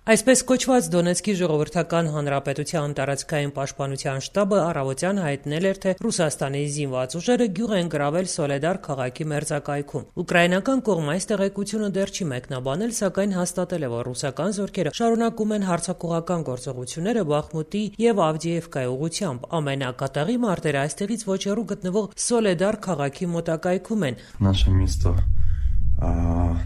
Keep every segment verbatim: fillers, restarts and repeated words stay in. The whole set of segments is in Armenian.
Այսպես կոչված Դոնեցկի ժողովրդական հանրապետության տարածքային պաշտպանության շտաբը առավոտյան հայտնել էր, թե Ռուսաստանի զինված ուժերը գյուղ են գրավել Սոլեդար քաղաքի մերձակայքում։ Ուկրաինական կողմը այս տեղեկությունը դեռ չի մեկնաբանել, սակայն հաստատել է, որ ռուսական զորքերը շարունակում են հարձակողական գործողությունները Բախմուտի եւ Ավդիևկայի ուղղությամբ։ Ամենակատաղի մարտերը այստեղից ոչ հեռու գտնվող Սոլեդար քաղաքի մոտակայքում են։ Наше місто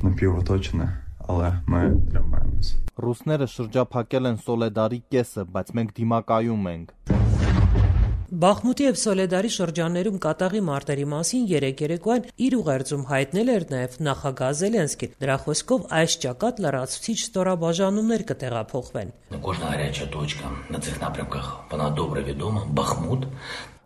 напівоточене, але ми тримаємось. Ռուսները շրջափակել են Սոլեդարի կեսը, բայց մենք դիմակայում ենք։ Բախմուտի եւ Սոլեդարի շրջաններում կատաղի մարտերի մասին երեք երեկոյան իր ուղերձում հայտնել էր նաեւ նախագահ Զելենսկին։ Դրա խոսքով այս ճակատ լրացուցիչ ստորաբաժանումներ կտեղափոխվեն։ Кожна гаряча точка на цих напрямках, вона добре відома. Бахмут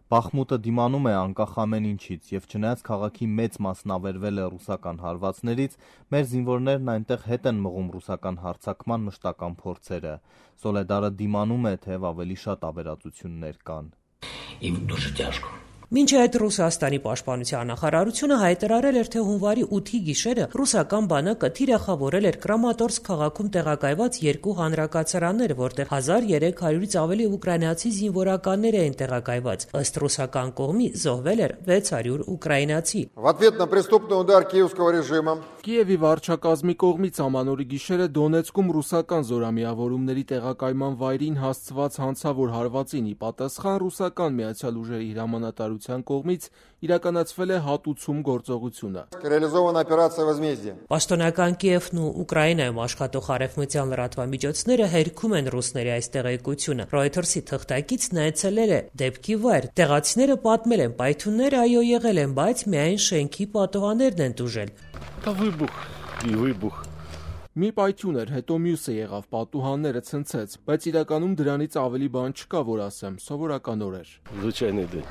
Բախմուտը դիմանում է անկախ ամեն ինչից, եւ չնայած քաղաքի մեծ մասն ավերվել է ռուսական հարվածներից, մեր զինվորներն այնտեղ հետ են մղում ռուսական հարձակման մշտական փորձերը։ Սոլեդարը դիմանում է, թեև ավելի շատ ավերածություններ կան։ І дуже тяжко. Մինչ այդ Ռուսաստանի պաշտպանության նախարարությունը հայտարարել էր, թե հունվարի ութի գիշերը ռուսական բանակը թիրախավորել էր Կրամատորսկ քաղաքում տեղակայված երկու հանրակացարաններ, որտեղ հազար երեք հարյուրից ավելի ուկրաինացի զինվորականներ էին տեղակայված։ Ըստ ռուսական կողմի զոհվել էր վեց հարյուր ուկրաինացի։ В ответ на преступный удар киевского режима Կիևի վարչակազմի կողմից ամանորի գիշերը Դոնեցկում ռուսական զորամիավորումների տեղակայման վայրին հասցված հանցավոր հարվածին ի պատասխան ռուսական միացյալ ուժերի հրամանատարության կողմից իրականացվել է հատուցում գործողությունը։ реализована операция возмездия. Պաշտոնական Կիևն ու Ուկրաինայում աշխատող արևմտյան լրատվամիջոցները հերքում են ռուսների այս տեղեկությունը։ Ռոյթերսի թղթակիցն այցելել է դեպքի վայր։ Տեղացիները պատմել են, պայթյունները այո եղել են, բայց միայն շենքի պատուհաններն են տուժել։ Դա վիբուխ, վիբուխ։ Մի պայթյուն էր, հետո մյուսը եղավ, պատուհանները ցնցեց, բայց իրականում դրանից ավելի բան չկա, որ ասեմ, սովորական օր էր։ Звичайний день.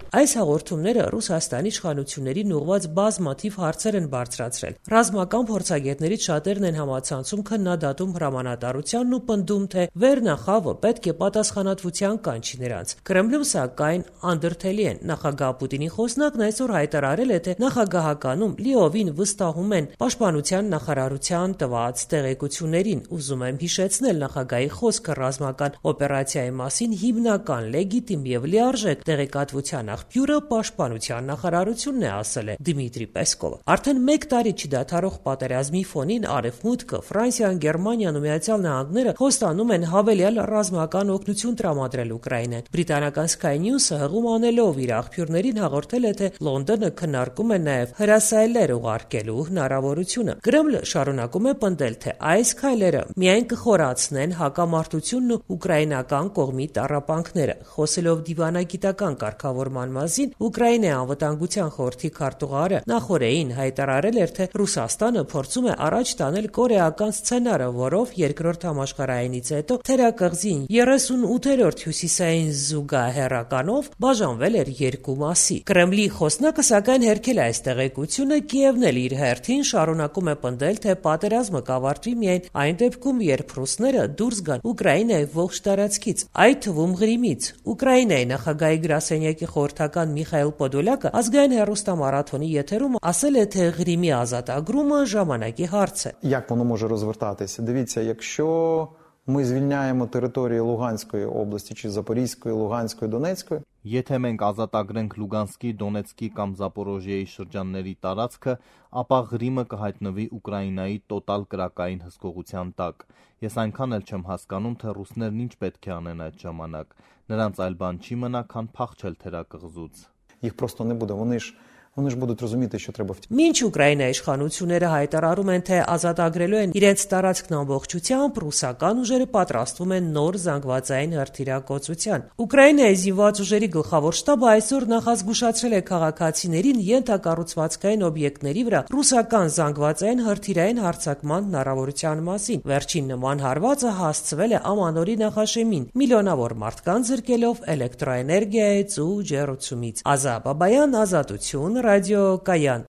Այս հաղորդումները Ռուսաստանի իշխանություններին ուղղված բազմաթիվ հարցեր են բարձրացրել։ Ռազմական փորձագետներից շատերն են համացանցում քննադատում հրամանատարությանն ու պնդում, թե վերնախավը պետք է պատասխանատվության կանչի նրանց։ Կրեմլում սակայն անդրդելի են։ Նախագահ Պուտինի խոսնակն այսօր հայտարարել է, թե նախագահականում լիովին վստահում են պաշտպանության նախարարության տված տեղեկություններին։ Ուզում եմ հիշեցնել նախագահի խոսքը ռազմական օպերացիայի մասին հիմնական, լեգիտիմ եւ լիարժեք տեղեկատվության աղբյուրը պաշտպանության նախարարությունն է, ասել է Դմիտրի Պեսկովը։ Արդեն մեկ տարի չդադարող պատերազմի ֆոնին Արևմուտքը, Ֆրանսիան, Գերմանիան ու Միացյալ Նահանգները խոստանում են հավելյալ ռազմական օգնություն տրամադրել Ուկրաինային։ Բրիտանական Sky News-ը հղում անելով իր աղբյուրներին հաղորդել է, թե Լոնդոնը քննարկում է նաև հրասայլեր ուղարկելու հնարավորությունը։ Կրեմլը շարունակում է պնդել, թե այս քայլերը միայն կխորացնեն հակամարտությունն ու ուկրաինական կողմի տառապանքները։ Խոսելով դիվանագիտական կարգավորման մասին, Ուկրաինայի անվտանգության խորհրդի քարտուղարը նախորդին հայտարարել էր, թե Ռուսաստանը փորձում է առաջ տանել կորեական սցենարը, որով երկրորդ համաշխարհայինից հետո թերակղզին երեսունութերորդ հյուսիսային զուգահեռականով բաժանվել էր երկու մասի։ Կրեմլի խոսնակը սակայն հերքել է այս տեղեկությունը, Կիևն էլ իր հերթին շարունակում է պնդել, թե պատերազմը կավարտվի միայն այն դեպքում, երբ ռուսները դուրս գան Ուկրաինայի ողջ տարածքից, այդ թվում Ղրիմից։ Ուկրաինայի նախագահի գրասենյակի խորհրդական Միխայել Պոդոլյակը ազգային հեռուստամարաթոնի եթերում ասել է, թե Ղրիմի ազատագրումը ժամանակի հարց է։ Як воно може розвертатися? Дивіться, якщо ми звільняємо території Луганської області чи Запорізької, Луганської, Донецької, Եթե մենք ազատագրենք Լուգանսկի, Դոնեցկի կամ Զապորոժիեի շրջանների տարածքը, ապա Ղրիմը կհայտնվի Ուկրաինայի տոտալ կրակային հսկողության տակ։ Ես այնքան էլ չեմ հասկանում, թե ռուսներն ինչ պետք է անեն այդ ժամանակ։ Նրանց այլ բան չի մնա, քան փախչել թերակղզուց։ їх просто не буде. Вони ж Вони ж будуть розуміти, що треба втікати. Մինչ Ուկրաինայի իշխանությունները հայտարարում են, թե ազատագրելու են իրենց տարածքն ամբողջությամբ, ռուսական ուժերը պատրաստվում են նոր զանգվածային հրթիռակոծության։ Ուկրաինայի զինված ուժերի գլխավոր շտաբը այսօր նախազգուշացրել է քաղաքացիներին ենթակառուցվածքային օբյեկտների վրա ռուսական զանգվածային հրթիռային հարձակման հնարավորության մասին։ Վերջին նման հարվածը հասցվել է Ամանորի նախաշեմին, միլիոնավոր մարդկանց զրկելով էլեկտրոէներգիայից ու ջեռուցումից։ Ազա Բաբայան, Ազատություն, Ռադիո Կայան։